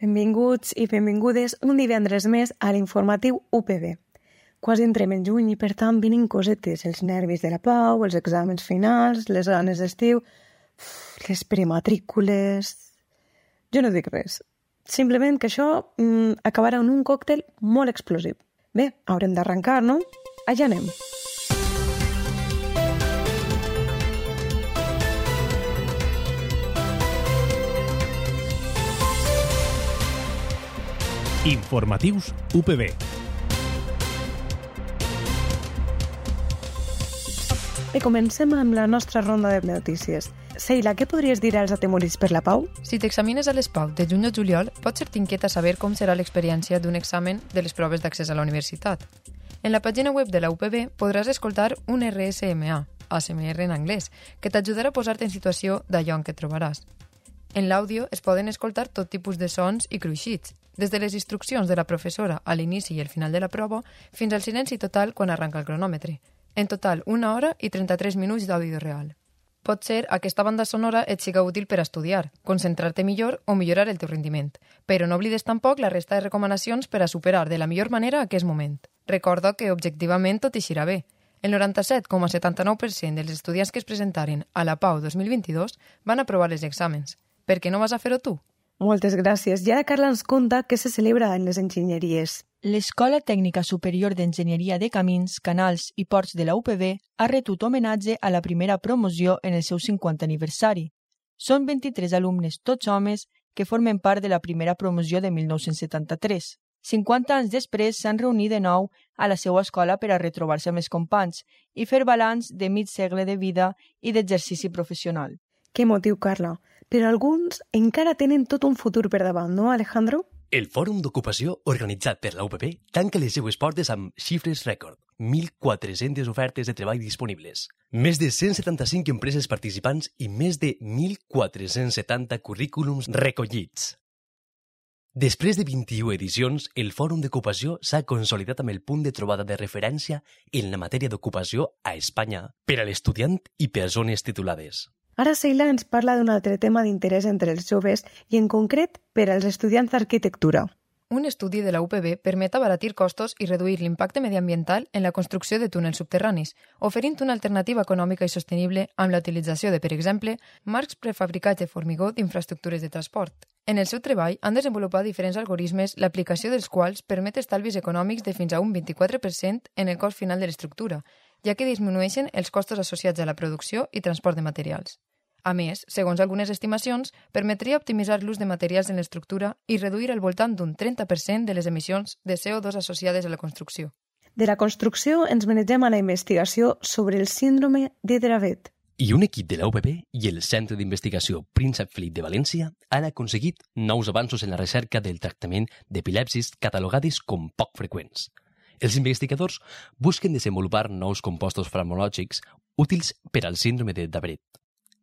Benvinguts i benvingudes un divendres més a l'informatiu UPB. Quasi entrem en juny i, per tant, vinen cosetes, els nervis de la pau, els exàmens finals, les ganes d'estiu, les prematrícules... Jo no dic res. Simplement que això acabarà en un còctel molt explosiu. Bé, haurem d'arrencar, no? Allà anem. Informatius UPB. Bé, comencem amb la nostra ronda de notícies. Seila, què podries dir als atemorits per la pau? Si t'examines a les PAU de juny o juliol, pot ser t'inquieta saber com serà l'experiència d'un examen de les proves d'accés a la universitat. En la pàgina web de la UPB podràs escoltar un RSMA, ASMR en anglès, que t'ajudarà a posar-te en situació d'allò en què trobaràs. En l'àudio es poden escoltar tot tipus de sons i cruixits, des de les instruccions de la professora a l'inici i al final de la prova fins al silenci total quan arranca el cronòmetre. En total, 1 hora i 33 minuts d'àudio real. Pot ser aquesta banda sonora et siga útil per a estudiar, concentrar-te millor o millorar el teu rendiment, però no oblides tampoc la resta de recomanacions per a superar de la millor manera aquest moment. Recorda que objectivament tot eixirà bé. El 97,79% dels estudiants que es presentaren a la PAU 2022 van aprovar els exàmens. Per què no vas a fer-ho tu? Moltes gràcies. I ara Carla ens conta què se celebra en les enginyeries. L'Escola Tècnica Superior d'Enginyeria de Camins, Canals i Ports de la UPB ha retut homenatge a la primera promoció en el seu 50 aniversari. Són 23 alumnes, tots homes, que formen part de la primera promoció de 1973. 50 anys després s'han reunit de nou a la seva escola per a retrobar-se amb els companys i fer balanç de mig segle de vida i d'exercici professional. Que motiu, Carla. Però alguns encara tenen tot un futur per davant, no, Alejandro? El Fòrum d'Ocupació organitzat per la UPB tanca les seues portes amb xifres rècord. 1.400 ofertes de treball disponibles. Més de 175 empreses participants i més de 1.470 currículums recollits. Després de 21 edicions, el Fòrum d'Ocupació s'ha consolidat amb el punt de trobada de referència en la matèria d'ocupació a Espanya per a l'estudiant i persones titulades. Ara Seila ens parla d'un altre tema d'interès entre els joves i en concret per als estudiants d'arquitectura. Un estudi de la UPB permet abaratir costos i reduir l'impacte mediambiental en la construcció de túnels subterranis, oferint una alternativa econòmica i sostenible amb la utilització de, per exemple, marcs prefabricats de formigó d'infraestructures de transport. En el seu treball han desenvolupat diferents algoritmes, l'aplicació dels quals permet estalvis econòmics de fins a un 24% en el cost final de l'estructura, ja que disminueixen els costos associats a la producció i transport de materials. A més, segons algunes estimacions, permetria optimitzar l'ús de materials en l'estructura i reduir al voltant d'un 30% de les emissions de CO2 associades a la construcció. De la construcció ens manegem a la investigació sobre el síndrome de Dravet. I un equip de la UPB i el Centre d'Investigació Príncep Felip de València han aconseguit nous avanços en la recerca del tractament d'epilèpsis catalogades com poc freqüents. Els investigadors busquen desenvolupar nous compostos farmacològics útils per al síndrome de Dravet,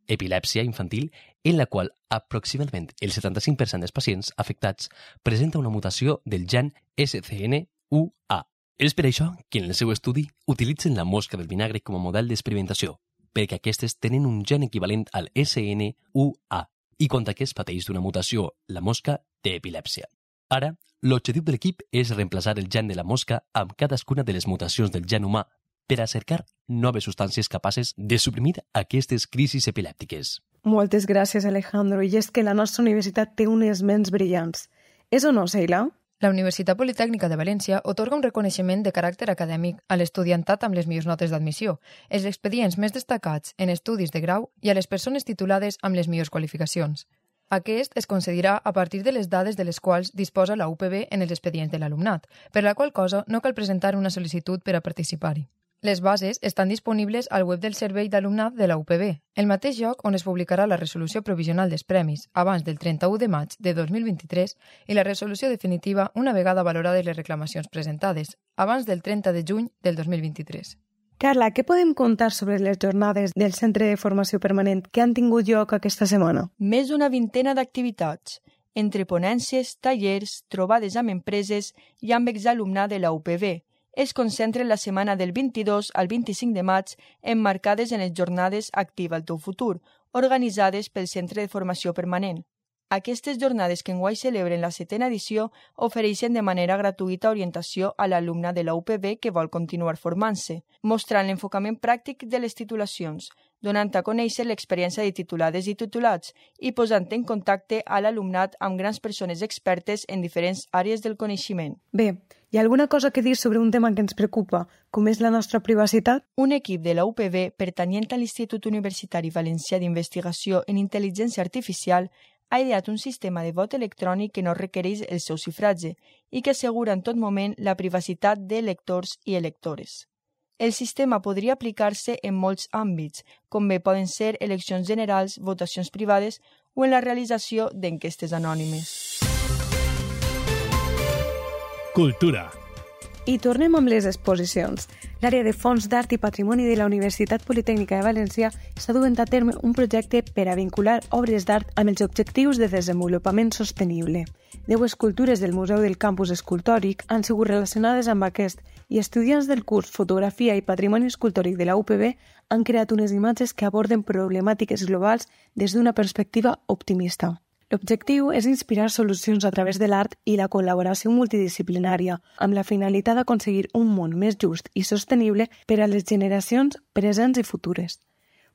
epilèpsia infantil en la qual aproximadament el 75% dels pacients afectats presenta una mutació del gen SCN1A. És per això que en el seu estudi utilitzen la mosca del vinagre com a model d'experimentació, perquè aquestes tenen un gen equivalent al SNUA i quan aquest pateix d'una mutació, la mosca té epilèpsia. Ara, l'objectiu de l'equip és reemplaçar el gen de la mosca amb cadascuna de les mutacions del gen humà per a cercar noves substàncies capaces de suprimir aquestes crisis epilèptiques. Moltes gràcies, Alejandro. I és que la nostra universitat té unes ments brillants. És o no, Seila? La Universitat Politècnica de València atorga un reconeixement de caràcter acadèmic a l'estudiantat amb les millors notes d'admissió, els expedients més destacats en estudis de grau i a les persones titulades amb les millors qualificacions. Aquest es concedirà a partir de les dades de les quals disposa la UPB en els expedients de l'alumnat, per la qual cosa no cal presentar una sol·licitud per a participar-hi. Les bases estan disponibles al web del Servei d'Alumnat de la UPB, el mateix lloc on es publicarà la resolució provisional dels premis abans del 31 de maig de 2023 i la resolució definitiva una vegada valorades les reclamacions presentades, abans del 30 de juny del 2023. Carla, què podem contar sobre les jornades del Centre de Formació Permanent que han tingut lloc aquesta setmana? Més d'una vintena d'activitats, entre ponències, tallers, trobades amb empreses i amb exalumnat de la UPB, es concentren la setmana del 22 al 25 de maig emmarcades en les jornades Activa el teu futur, organitzades pel Centre de Formació Permanent. Aquestes jornades que enguany celebren la 7a edició ofereixen de manera gratuïta orientació a l'alumne de la UPB que vol continuar formant-se, mostrant l'enfocament pràctic de les titulacions, donant a conèixer l'experiència de titulades i titulats i posant en contacte a l'alumnat amb grans persones expertes en diferents àrees del coneixement. Bé, hi ha alguna cosa que dir sobre un tema que ens preocupa, com és la nostra privacitat? Un equip de la UPB pertanyent a l'Institut Universitari Valencià d'Investigació en Intel·ligència Artificial ha ideat un sistema de vot electrònic que no requereix el seu xifratge i que assegura en tot moment la privacitat de lectors i electores. El sistema podria aplicar-se en molts àmbits, com bé poden ser eleccions generals, votacions privades o en la realització d'enquestes anònimes. Cultura. I tornem amb les exposicions. L'àrea de Fons d'Art i Patrimoni de la Universitat Politècnica de València està duent a terme un projecte per a vincular obres d'art amb els objectius de desenvolupament sostenible. 10 escultures del Museu del Campus Escultòric han sigut relacionades amb aquest i estudiants del curs Fotografia i Patrimoni Escultòric de la UPB han creat unes imatges que aborden problemàtiques globals des d'una perspectiva optimista. L'objectiu és inspirar solucions a través de l'art i la col·laboració multidisciplinària, amb la finalitat d'aconseguir un món més just i sostenible per a les generacions presents i futures.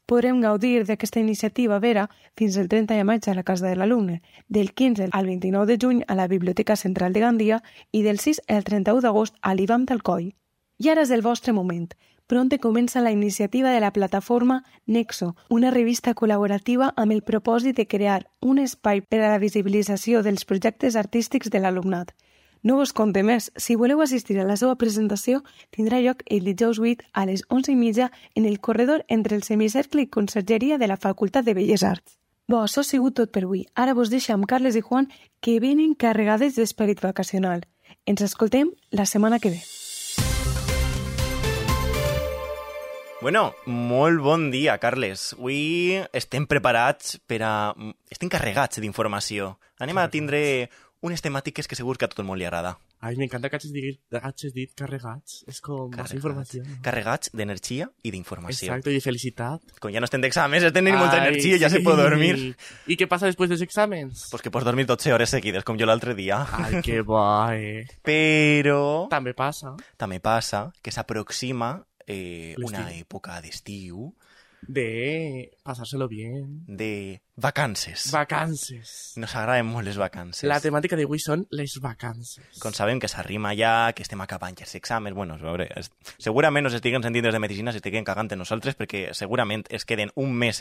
Podrem gaudir d'aquesta iniciativa vera fins al 30 de maig a la Casa de l'Alumne, del 15 al 29 de juny a la Biblioteca Central de Gandia i del 6 al 31 d'agost a l'IVAM d'Alcoi. I ara és el vostre moment. Pronte comença la iniciativa de la plataforma Nexo, una revista col·laborativa amb el propòsit de crear un espai per a la visibilització dels projectes artístics de l'alumnat. No us conte més, si voleu assistir a la seva presentació, tindrà lloc el dijous 8 a les 11:30 en el corredor entre el semicercle i consergeria de la Facultat de Belles Arts. Bo, això ha sigut tot per avui. Ara vos deixo amb Carles i Juan, que venen carregades d'esperit vacacional. Ens escoltem la setmana que ve. Bueno, molt bon dia, Carles. Avui estem preparats per a... Estem carregats d'informació. Anem a tindre unes temàtiques que segur que a tot el món li agrada. Ai, m'encanta que hagis dit carregats. És com massa informació. No? Carregats d'energia i d'informació. Exacto, i de felicitat. Com ja no estem d'exàmens, estem tenint molta energia, ja se pot dormir. I què passa després dels exàmens? Pues que pots dormir 12 hores seguides, com jo l'altre dia. Ai, que bo, Però... També passa que s'aproxima una època d'estiu de pasárselo bien, de vacances. Vacances. Nos agraden molt les vacances. La temàtica d'avui són les vacances. Com sabem que s'arrima ja, que estem acabant ja els exàmens, bueno, a veure, segurament nos estiguen sentint des de medicina, s'estiguen cagant en nosaltres, perquè segurament es queden un mes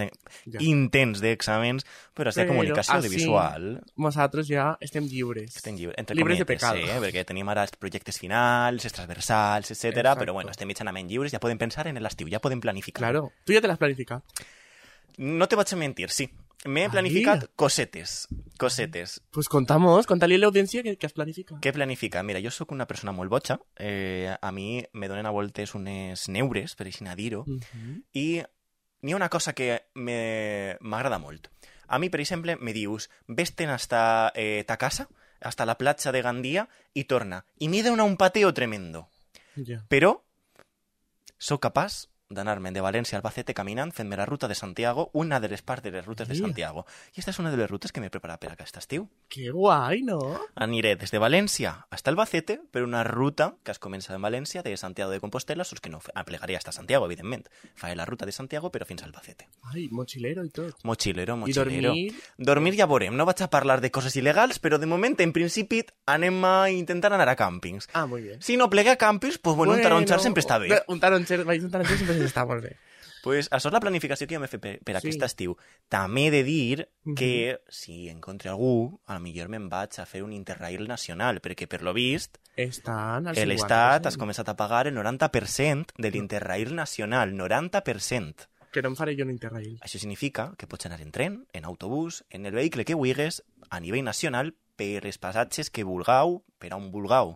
intens d'exàmens, però és de comunicació audiovisual. Nosaltres ja estem lliures. Estem entre lliures cometes, de pecat. Perquè tenim ara els projectes finals, els transversals, etc. Però bueno, estem mitjanament lliures, ja podem pensar en l'estiu, ja podem planificar. Claro, tu ja te l'has planificat. No te vaig a mentir, sí. M'he planificat cosetes. Pues conta'li a l'audiència que has planificat. Què planifica? Mira, jo sóc una persona molt boja. A mi me donen a voltes unes neures, per així dir-ho, i n'hi ha una cosa que m'agrada molt. A mi, per exemple, me dius, vés-te'n hasta ta casa, hasta la platja de Gandia, i torna. I m'he donat un pateo tremendo. Yeah. Però sóc capaç d'anar-me'n de València a Albacete caminant, fent-me la ruta de Santiago, una de les parts de les rutes de Santiago. I aquesta és una de les rutes que m'he preparat per aquest estiu. Que guai, no? Aniré des de València fins a Albacete per una ruta que es comença en València, de Santiago de Compostela, sols que no plegaria fins a Santiago, evidentment. Faré la ruta de Santiago, però fins a Albacete. Ai, mochilero i tot. Mochilero. I dormir? Dormir ja veurem. No vaig a parlar de coses il·legals, però de moment, en principi, anem a intentar anar a càmpings. Ah, molt bé. Si no plegué a càmpings, pues bueno, un taronxar sempre està bé. Un taronxar sempre està molt bé. Pues això és la planificació que jo m'he fet per aquest estiu. També he de dir que si encontre algú, a lo millor me'n vaig a fer un Interrail nacional, perquè per lo vist l'Estat has començat a pagar el 90% de l'Interrail nacional, 90%. Que no em faré jo un Interrail. Això significa que pots anar en tren, en autobús, en el vehicle que vulguis, a nivell nacional, per els passatges que vulgueu, per on vulgueu.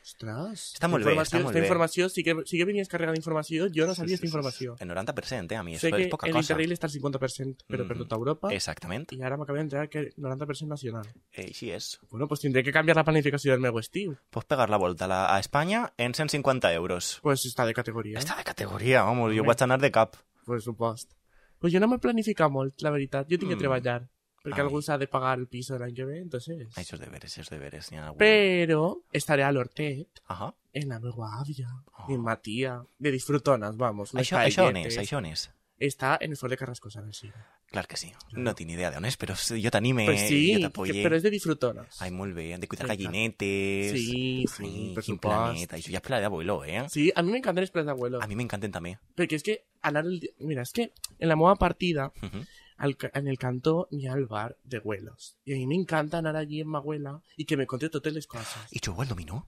Ostres, està molt bé, està molt bé. Esta informació, sí que venies carregada d'informació, jo no sabia esta informació. El 90%, a mi, sé és poca cosa. Sé que l'Interrail està al 50%, però per tota Europa. Exactament. I ara m'acabé d'entrar que el 90% nacional. Així és. Bueno, pues tindré que canviar la planificació del meu estiu. Pots pegar la volta a Espanya en 150 euros. Pues està de categoria. Està de categoria, home, jo vaig anar de cap. Pues supost. Pues jo no m'he planificat molt, la veritat. Jo tinc que treballar. perquè algú s'ha de pagar el piso l'any que ve, entonces... Això és deberes. Pero estaré a l'Hortet, Ajá. en la meva àvia, en ma tia, de disfrutones, vamos. Això on és? Està en el Fort de Carrascosa, sí. Clar que sí. No tinc idea d'on és, però jo t'anime Pues sí, i jo t'apoye. però és de disfrutones. Ai, molt bé, han de cuidar Exacte. gallinetes. Sí, sí, Ai, per quin supost. planeta. Això ja és pla d'abuelo, Sí, a mi m'encanten els plans d'abuelo. A mi m'encanten també. Perquè és que anar mira, és que en la meva partida, Uh-huh. en el cantó n'hi ha el bar de abuelos. I a mi m'encanta anar allí amb ma abuela i que me conte totes les coses. I jugo al dominó?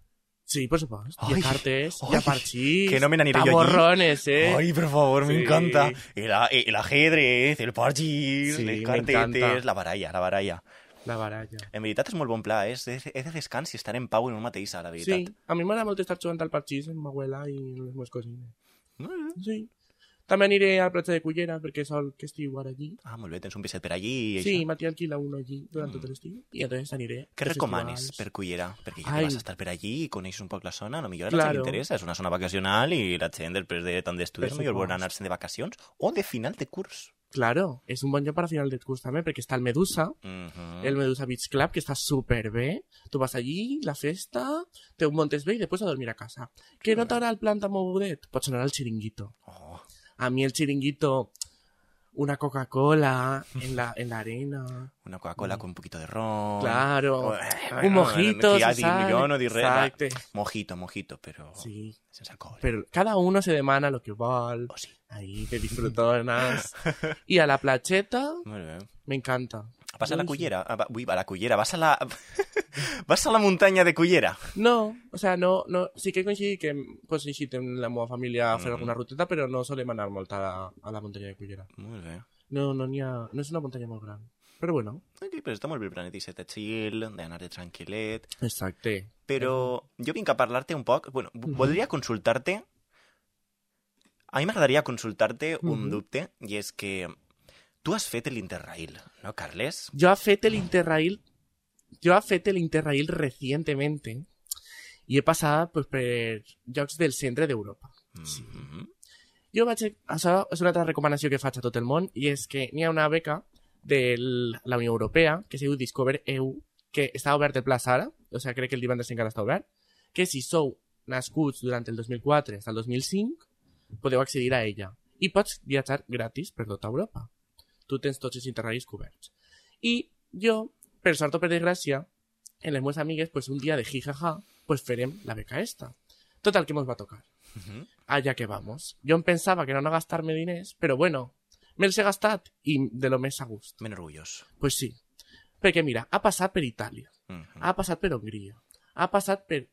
Sí, por supuesto. Ai, I a cartes, ai, i a parxís, que no me n'aniré jo allí. taborrones, Ay, por favor, me Sí. encanta. El ajedrez, el parchís, Sí, les m'encanta. cartetes, la baralla. La baralla. En veritat és molt bon pla, és de descans i estar en pau en un mateixa, la veritat. Sí, a mi m'agrada molt estar jugant al parxís amb ma abuela i les meves cosines. Molt bé. Sí. També aniré al platja de Cullera, perquè sol que estiu ara allí. Ah, molt bé, tens un piset per allí i Sí, això. Mati alquila uno allí durant tot l'estiu. I entonces aniré. Què als recomanes festivals. per Cullera? Perquè ja Ai. que vas a estar per allí i coneixes un poc la zona, a lo millor a la Claro. gent li interessa. És una zona vacacional i la gent, després de tant d'estudis, Per millor vol supost. anar-se'n de vacacions o de final de curs. Claro, és un bon lloc per a final de curs també, perquè està el Medusa, el Medusa Beach Club, que està superbé. Tu vas allí, la festa, te ho montes bé i després a dormir a casa. Que no t'agrada el plan tan mogudet? Pots anar al Chiringuito. Oh, A mi el Chiringuito, una Coca-Cola en la arena. una Coca-Cola con un poquito de ron. Claro. Ay, Un mojito, ja se dic, sabe. jo no dic res. Exacte. Mojito, però Sí. sense alcohol. Pero cada uno se demana lo que vol. Oh, sí. Ahí te disfrutonas. Y a la placheta, Molt bé. me encanta. Vas a la Uy, sí. Cullera? Ui, a la Cullera. Vas a la... vas a la muntanya de Cullera? No, o sea, no, sí que coincidit que pues, coincidit en la meva família a fer alguna ruteta, però no solem anar molt a la muntanya de Cullera. Molt bé. No és una muntanya molt gran. Però bueno. Ok, però està molt bé el planetisset de chill, d'anar de tranquil·let. Exacte. Però jo vinc a parlar-te un poc... Bueno, voldria consultar-te... A mi m'agradaria consultar-te un dubte, i és que tu has fet l'Interrail, no, Carles? Yo he fet el Interrail recientemente y he passat pues, per llocs del centre d'Europa. Sí. Jo vaig... Això és una altra recomanació que faig a tot el món i és que n'hi ha una beca de la Unió Europea que es diu Discover EU que està obert el Pla Sara, o sigui, crec que el divendres encara està obert, que si sou nascuts durant el 2004 fins al 2005 podeu accedir a ella i pots viatjar gratis per tota Europa. Tu tens tots els interrails coberts. I jo, per sort o per desgràcia, en les meves amigues, pues, un dia de jijaja, pues farem la beca esta. Total, que mos va tocar. Allá que vamos. Jo em pensava que era no gastar-me diners, però bueno, me'ls he gastat i de lo més a gust. Ben orgullós. Pues sí. Perquè mira, ha passat per Itàlia, ha passat per Hongria, ha passat per...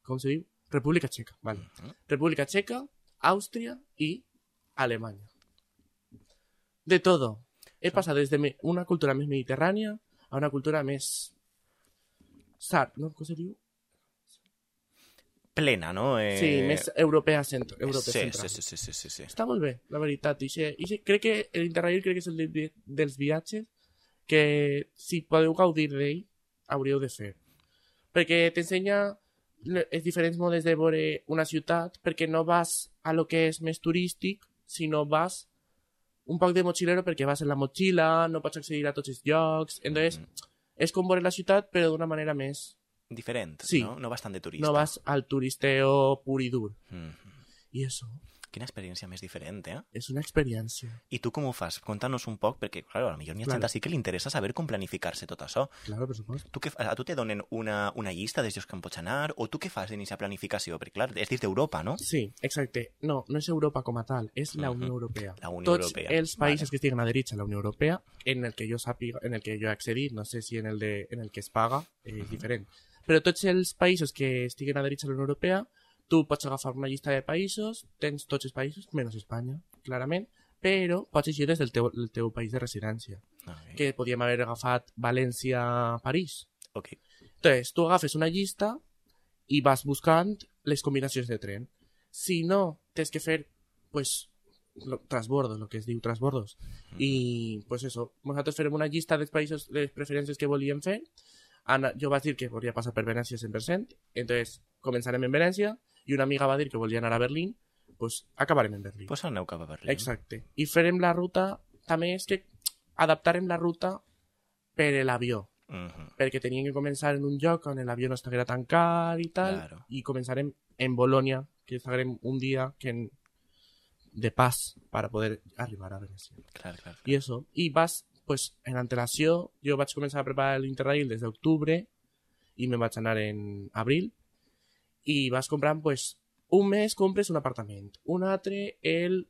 com se diu? República Txeca, vale. República Txeca, Àustria i Alemanya. De todo. He passat des de una cultura més mediterrània a una cultura més... ¿no? Com se diu? Plena, no? Sí, més europea central. Sí. Està molt bé, la veritat. Crec que l'Interrail crec que és el dels viatges que si podeu gaudir d'ell hauríeu de fer. Perquè t'ensenya els diferents modes de veure una ciutat, perquè no vas a lo que és més turístic, sinó vas un poc de mochilero perquè vas en la motxilla, no pots accedir a tots els llocs, entonces és com veure la ciutat però d'una manera més... Diferent, sí. ¿no? No vas tan de turista. No vas al turisteo pur i dur. I eso... Quina experiència més diferent, eh? És una experiència. I tu com ho fas? Conta-nos un poc, perquè, clar, a lo millor n'hi ha gent així que li interessa saber com planificar-se tot això. Claro, per supost. A tu te donen una llista dels llocs que en pots anar, o tu què fas d'iniciar planificació? Perquè, clar, és dins d'Europa, no? Sí, exacte. No és Europa com a tal, és la Unió Europea. La Unió Europea. Tots els països que estiguen adherits a la Unió Europea, en el que jo sàpiga, en el que jo he accedit, no sé si en el que es paga, és diferent. Però tots els països que estiguen adherits a la Unió Europea, tu pots agafar una llista de països, tens tots els països, menys Espanya, clarament, però pots llegir des del teu país de residència. Okay. Que podíem haver agafat València-París. Ok. Entonces, tu agafes una llista i vas buscant les combinacions de tren. Si no, tens que fer, pues, transbordos, lo que es diu transbordos. I, pues eso, nosaltres farem una llista dels països, les preferències que volíem fer. Jo vaig dir que volia passar per Venècia 100%, entonces començarem en Venècia, i una amiga va dir que volia anar a Berlín, pues acabarem en Berlín. Pues aneu cap a Berlín. Exacte. I farem la ruta, també és que adaptarem la ruta per l'avió. Mhm. Perquè tenien que començar en un lloc on l'avió no estiguera tan car i tal, Claro. i començarem en Bolònia, que estarem un dia de pas para poder arribar a Venècia. Clar, clar. I eso. I vas, pues, en antelació, jo vaig començar a preparar l'Interrail des d'octubre i me'n vaig anar en abril, i vas comprant, pues, un mes compres un apartament, un altre el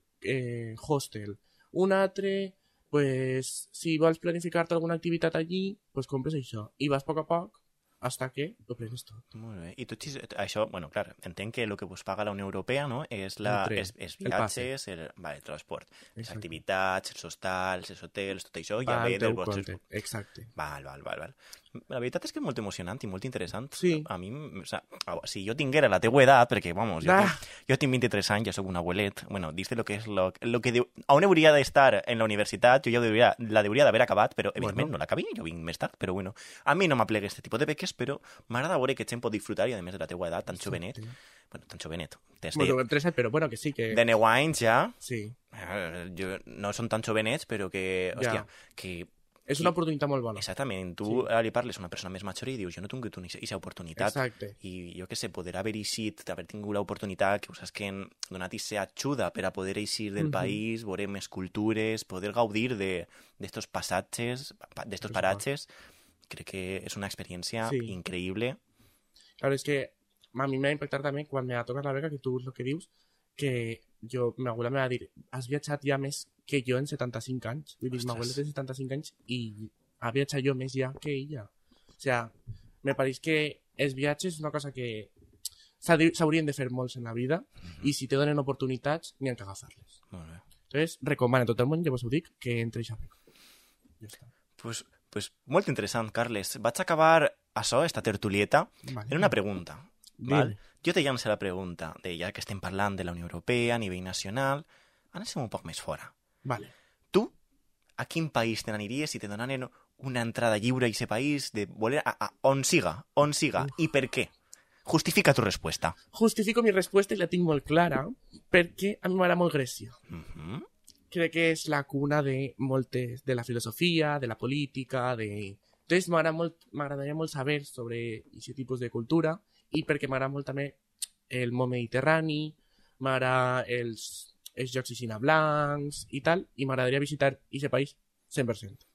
hostel, un altre, pues, si vols planificar-te alguna activitat allí, pues compres això. I vas a poc hasta que ho prenes tot. Molt bé. I tot això, bueno, clar, entenc que el que us paga la Unió Europea, no?, és El tren, els el passe. viatges, el transport, les Exacte. activitats, els hostals, els hotels, tot això ja Va ve al del teu vostre... compte. Exacte. Val. La veritat és que és molt emocionant i molt interessant. Sí. A mi, o sea, si jo tinguera la teua edat, perquè, vamos, jo tinc 23 anys, ja soc un abuelet, bueno, dins de lo que és lo que diu, on hauria d'estar en la universitat, jo ja la hauria d'haver acabat, però evidentment no l'acabé, jo vinc més tard, però bueno, a mi no m'aplega aquest tipus de beques, però m'agrada veure que gent pot disfrutar i a més de la teua edat, tan jovenet, bueno, tan jovenet, Bueno, 3 però bueno, que sí, que... de 9 anys ja, Sí. no són tan jovenets, però que, hòstia, Ja. que És una oportunitat molt bona. exactament, tu ara li parles a una persona més major i dius, jo no he tingut aquesta oportunitat. Exacte. I jo què sé, poder haver eixit, haver tingut l'oportunitat que us has donat aquesta ajuda per a poder eixir del país, veure més cultures, poder gaudir d'estos passatges, d'estos paratges, crec que és una experiència increïble. Claro, és que a mi m'ha impactat també quan me va tocar la beca, que tu el que dius, que ma abuela me va dir, has viatjat ja més que jo en 75 anys. Vull dir, ma abuela té 75 anys i ha viatjat jo més ja que ella. O sea, me pareix que els viatges és una cosa que s'haurien de fer molts en la vida i si te donen oportunitats, n'hi ha que agafar-les. Molt bé. Entonces, recomano a tot el món, ja vos ho dic, que entre a beca. Ja està. Pues molt interessant, Carles. Vaig acabar això, esta tertulieta, Vale. en una pregunta. Dime. Val? Jo te llanço la pregunta de ja que estem parlant de la Unió Europea a nivell nacional, anem un poc més fora. Vale. Tu, a quin país te n'aniries si te donanen una entrada lliure a aquest país de voler a on siga, i per què? Justifica tu respuesta. Justifico mi respuesta i la tinc molt clara perquè a mi m'agrada molt Grècia. Mhm. Crec que és la cuna de moltes, de la filosofia, de la política, de... Entonces m'agradaria molt saber sobre aquest tipus de cultura i perquè m'agrada molt també el món mediterrani, m'agrada els jocs aixina blancs i tal, i m'agradaria visitar aquest país 100%.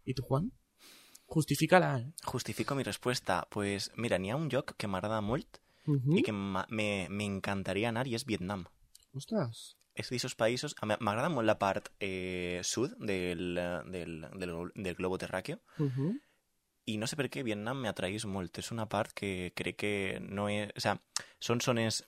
I tu, Juan? Justifica-la, Justifico mi respuesta. Pues mira, n'hi ha un lloc que m'agrada molt i que m'encantaria anar i és Vietnam. Ostres. És d'aquests països... M'agrada molt la part sud del globo terràqueo i no sé per què Vietnam m'atraís molt. És una part que crec que no és... O sea, són zones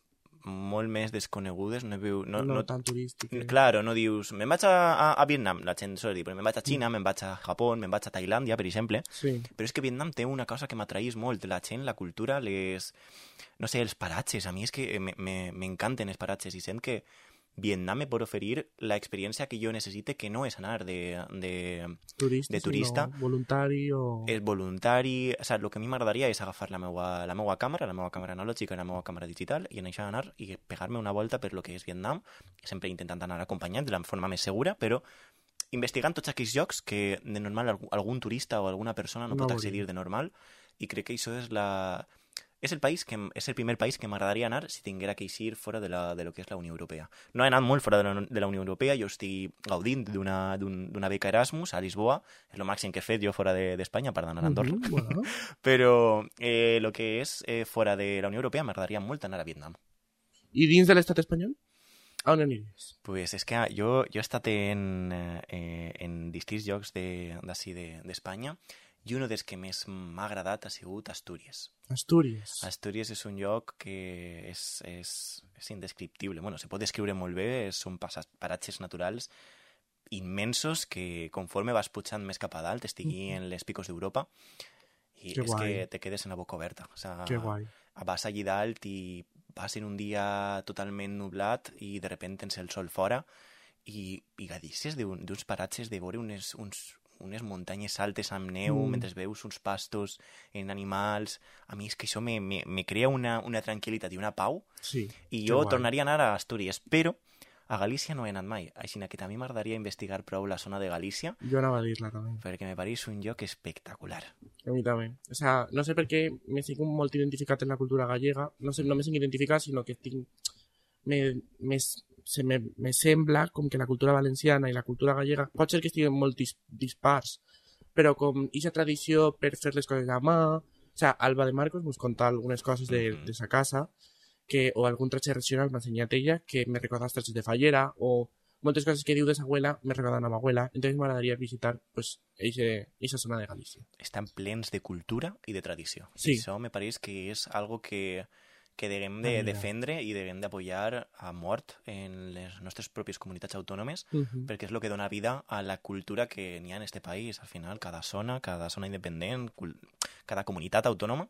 molt més desconegudes, no tan turístiques. Claro, no dius, me'n vaig a Vietnam, la gent sol dir, però me'n vaig a Xina, me'n vaig a Japó, me'n vaig a Tailàndia, per exemple, Sí. però és que Vietnam té una cosa que m'atraís molt, la gent, la cultura, no sé, els paratges, a mi és que m'encanten els paratges i sent que Vietnam me pot oferir la experiència que jo necessite, que no és anar de turista. No, voluntari o... És voluntari, o sigui, el que a mi m'agradaria és agafar la meva càmera analògica i la meva càmera digital i anar a anar i pegar-me una volta per lo que és Vietnam, sempre intentant anar acompanyat de la forma més segura, però investigant tots aquells llocs que de normal algun turista o alguna persona no pot accedir de normal, i crec que això és el primer país que m'agradaria anar si tinguera que eixir fora de lo que és la Unió Europea. No he anat molt fora de la Unió Europea, jo estic gaudint d'una beca Erasmus a Lisboa, és el màxim que he fet jo fora d'Espanya, per d'anar a Andorra. Bueno. Però el que és fora de la Unió Europea m'agradaria molt anar a Vietnam. I dins de l'estat espanyol? A on aniries? Pues és que jo he estat en distints llocs d'ací d'Espanya, i un dels que més m'ha agradat ha sigut Astúries. Astúries. Astúries és un lloc que és indescriptible. Bueno, se pot descriure molt bé, són paratges naturals immensos que conforme vas pujant més cap a dalt estigui en les picos d'Europa i és que te quedes en la boca oberta. O sea, que guai. Vas allí dalt i vas en un dia totalment nublat i de repente tens el sol fora i gaudisses d'uns paratges de veure unes muntanyes altes amb neu, mentre veus uns pastos en animals. A mi és que això me crea una tranquil·litat i una pau. Sí, I jo tornaria a anar a Astúries, però A Galícia no he anat mai, així que també m'agradaria investigar prou la zona de Galícia, Jo anava a dir-la també. perquè me pareix un lloc espectacular. A mi també. O sea, no sé per què me sento molt identificat en la cultura gallega. No sé, no me sento identificat, sinó que tinc... Me sembla com que la cultura valenciana i la cultura gallega pot ser que estiguen molt dispars, però com aquesta tradició per fer les coses a mà... O sea, Alba de Marcos mos conta algunes coses de sa casa, o algun tret tradicional m'ha ensenyat ella, que me recorda els trets de fallera, o moltes coses que diu de sa abuela me recordan a ma abuela. Entonces m'agradaria visitar pues esa zona de Galícia. Estan plens de cultura i de tradició. Sí. I això me pareix que és algo que deguem de defendre i deguem d'apoyar a mort en les nostres pròpies comunitats autònomes, perquè és el que dona vida a la cultura que n'hi ha en este país. Al final, cada zona independent, cada comunitat autònoma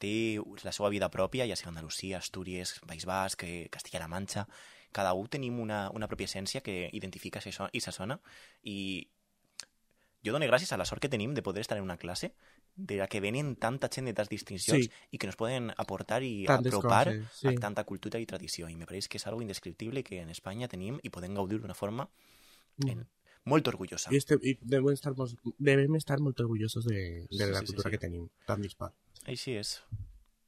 té la seva vida pròpia, ja sigui Andalusia, Astúries, País Basc, Castilla-La Manxa. Cada un tenim una pròpia essència que identifica aquesta zona, i jo dono gràcies a la sort que tenim de poder estar en una classe de la que venen tanta gent de tants distincions i que nos poden aportar i apropar a tanta cultura i tradició. I me pareix que és algo indescriptible que en Espanya tenim i podem gaudir d'una forma molt orgullosa. I devem estar molt orgullosos de la cultura que tenim, tan dispar. Així és.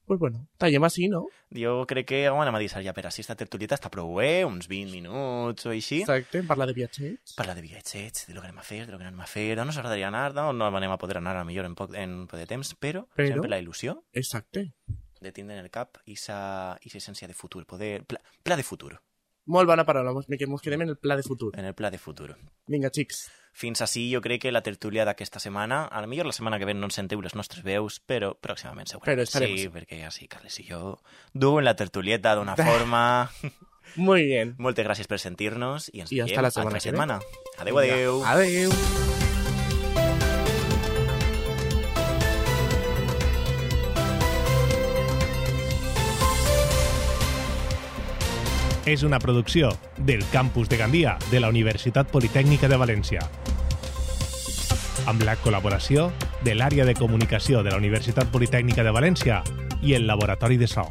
Pues bueno, tallem així, no? Jo crec que ho anem a deixar ja per així. Esta tertulieta està prou bé, uns 20 minuts o així. Exacte, parlar de viatgets. Parlar de viatgets, de lo que anem a fer, de lo que no anem a fer, d'on nos agradaria anar, d'on no anem a poder anar a millor en poc de temps, però sempre la il·lusió de tindre en el cap aquesta essència de futur, pla de futur. Molt bona paraula, que ens quedem en el pla de futur. En el pla de futur. Vinga, xics. Fins així jo crec que la tertúlia d'aquesta setmana, a lo millor la setmana que ve no ens sentiu les nostres veus, però pròximament segurament. Però estarem. Sí, perquè així Carles i jo duen la tertulieta d'una forma... Muy bien. Moltes gràcies per sentir-nos i ens veiem la setmana que setmana. Adéu, adéu. Adéu. És una producció del Campus de Gandia de la Universitat Politècnica de València, amb la col·laboració de l'Àrea de Comunicació de la Universitat Politècnica de València i el Laboratori de So.